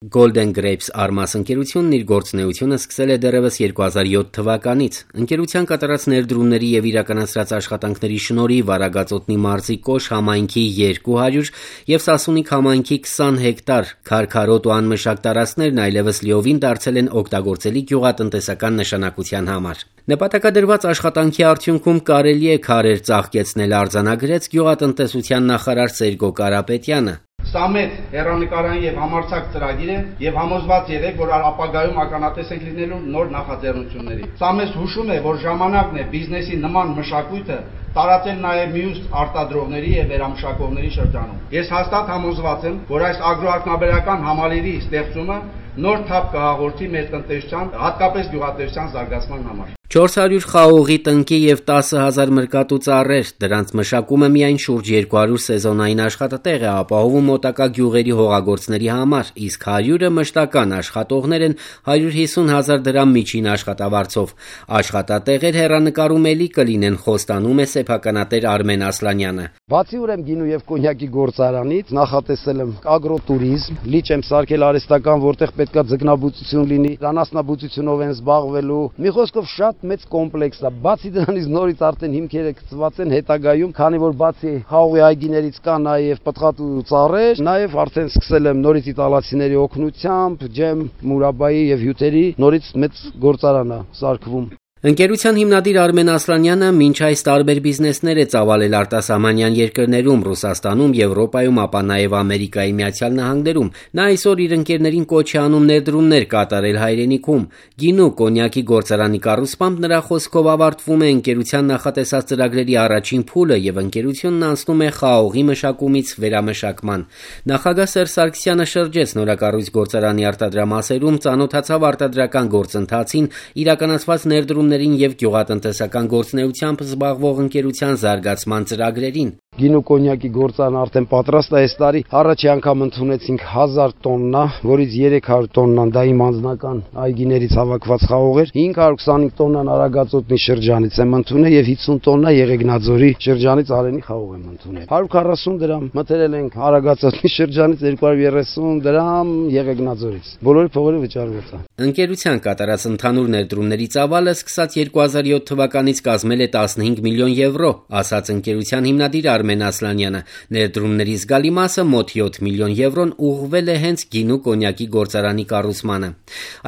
Golden Grapes Armas ընկերությունն իր գործունեությունը սկսել է դեռևս 2007 թվականից։ Ընկերության կատարած ներդրումների եւ իրականացրած աշխատանքների շնորհիվ Արագածոտնի մարզի Կոշ համայնքի 200 եւ Սասունիք համայնքի 20 հեկտար քարքարոտ ու անմշակ տարածքներն այլևս լիովին դարձել են օգտագործելի գյուղատնտեսական նշանակության համար։ Նպատակադրված աշխատանքի արդյունքում կարելի է քարեր ծաղկեցնել, արձանագրեց գյուղատնտեսության նախարար Սերգո Կարապետյանը։ Սա մեծ հեռանկարային եւ համարձակ ծրագիր է եւ համոզված եղեք, որ ապագայում ականատես ենք լինելու նոր նախաձեռնությունների։ Սա մեզ հուշում է, որ ժամանակն է բիզնեսի նման մշակույթը տարածել նաեւ մյուս արտադրողների եւ վերամշակողների շրջանում։ Ես հաստատ համոզված եմ, որ այս ագրոարտնաբերական համալիրի ստեղծումը նոր թափ կհաղորդի մեր տնտեսության, հատկապես գյուղատնտեսության զարգացման համար։ 400 խաղողի տնկի եւ 10,000 մրկատու ծառեր, դրանց մշակումը միայն շուրջ 200 սեզոնային աշխատատեղ է ապահովում մոտակա գյուղերի հողագործների համար, իսկ 100-ը մշտական աշխատողներ են 150,000 դրամ միջին աշխատավարձով։ Աշխատատեղեր հեռանկարում էլի կլինեն, խոստանում է սեփականատեր Արմեն Ասլանյանը։ Բացի ուրեմն գինու եւ կոնյակի գործարանից նախատեսել եմ ագրոտուրիզմ, լիճ եմ սարքել արհեստական, որտեղ պետքա ձկնաբուծություն լինի, անասնաբուծությունով են զբաղվելու։ Մի խոսքով շատ մեծ կոմպլեքս է։ Բացի դրանից նորից արդեն հիմքերը գծված են հետագայում, քանի որ բացի խաղողի այգիներից կա նաև պտղատու ծառեր, նաև արդեն սկսել եմ նորից իտալացիների օգնությամբ ջեմ, մուրաբայի եւ հյութերի նորից մեծ գործարան է սարքվում։ Ընկերության հիմնադիր Արմեն Ասլանյանը մինչ այս տարբեր բիզնեսներ է ծավալել արտասահմանյան երկրներում, Ռուսաստանում, Եվրոպայում, ապա նաև Ամերիկայի Միացյալ Նահանգներում։ Նա այսօր իր ընկերներին կոչ է անում ներդրումներ կատարել հայրենիքում։ Գինու կոնյակի գործարանի կառուցմամբ նրա խոսքով ավարտվում է ընկերության նախատեսած ծրագրերի առաջին փուլը եւ ընկերությունն անցնում է խաղողի մշակումից վերամշակման։ Նախագահ Սերժ Սարգսյանը շրջեց նորակառույց գործարանի արտադրամասերում, ծանոթացավ արտադրական գործընթացին, իրականացված ներդրումներին եւ գյուղատնտեսական գործունեությամբ զբաղվող ընկերության զարգացման ծրագրերին։ Գինու կոնյակի գործարանը արդեն պատրաստ է այս տարի։ Առաջի անգամ ընդունեցինք 1000 տոննա, որից 300 տոննան դա իմ անձնական այգիներից հավաքված խաղող էր, 525 տոննան Արագածոտնի շրջանից եմ ընդունել եւ 50 տոննա Եղեգնաձորի շրջանից Արենի խաղող եմ ընդունել։ 140 դրամ մտերել ենք Արագածոտնի շրջանից, 230 դրամ Եղեգնաձորից։ Բոլորի փողերը վճարված է։ Ընկերության կատարած ընդհանուր ներդրումների ծավալը սկսած 2007 թվականից կազմել է 15 միլիոն եվրո, ասաց ընկերության հիմնադիր Արմեն Ասլանյանը։ Ներդրումների զգալի մասը մոտ 7 միլիոն եվրոն ուղղվել է հենց գինու կոնյակի գործարանի կառուցմանը։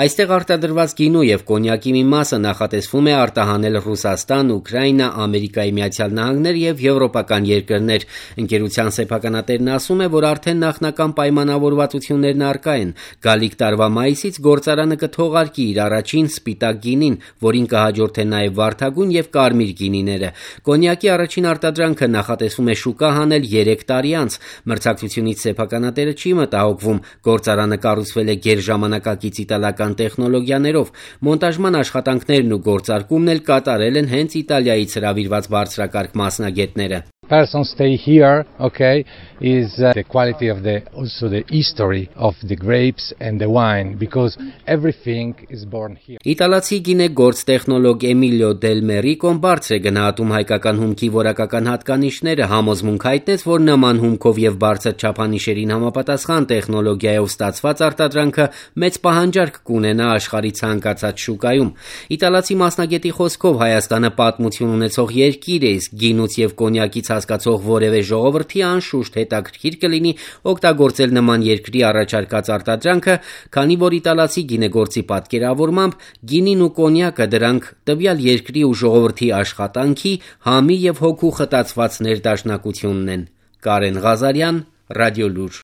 Այստեղ արտադրված գինու եւ կոնյակի մի մասը նախատեսվում է արտահանել Ռուսաստան, Ուկրաինա, Ամերիկայի Միացյալ Նահանգներ եւ եվրոպական երկրներ։ Ընկերության սեփականատերն ասում է, որ արդեն նախնական պայմանավորվածություններն առկա են։ Գալիք տարվա մայիսից գործարանը կթողարկի իր առաջին սպիտակ գինին, որին կհաջորդեն նաև վարդագույն եւ կարմիր գինիները։ Կոնյակի առաջին արտադրանքը նախատեսվում է շուկա հանել 3 տարի անց։ Մրցակցությունից սեփականատերը չի մտահոգվում։ Գործարանը կառուցվել է գերժամանակակից իտալական տեխնոլոգիաներով։ Մոնտաժման աշխատանքներն ու գործարկումն էլ կատարել են հենց Իտալիայից հրավիրված բարձրակարգ մասնագետները։ Person stay here, okay, is the quality of also the history of the grapes and the wine, because everything is born here. Իտալացի գինեգործ տեխնոլոգ Էմիլիո Դել Մերիկոն բարձր է գնահատում հայկական հումքի որակական հատկանիշները, համոզմունք հայտնեց, որ նման հումքով եւ բարձր չափանիշերին համապատասխան տեխնոլոգիայով ստացված արտադրանքը մեծ պահանջարկ կունենա աշխարհի ցանկացած շուկայում։ Իտալացի մասնագետի խոսքով Հայաստանը պատմություն ունեցող երկիր է, իսկ գինուց եւ կոնյակից հասկացող որևէ ժողովրդի անշուշտ հետաքրքիր կլինի օգտագործել նման երկրի առաջարկած արտադրանքը, քանի որ իտալացի գինեգործի պատկերավորմամբ գինին ու կոնյակը դրանք տվյալ երկրի ու ժողովրդի աշխատանքի, համի եւ հոգու խտացված ներդաշնակությունն են։ Կարեն Ղազարյան, Ռադիոլուր։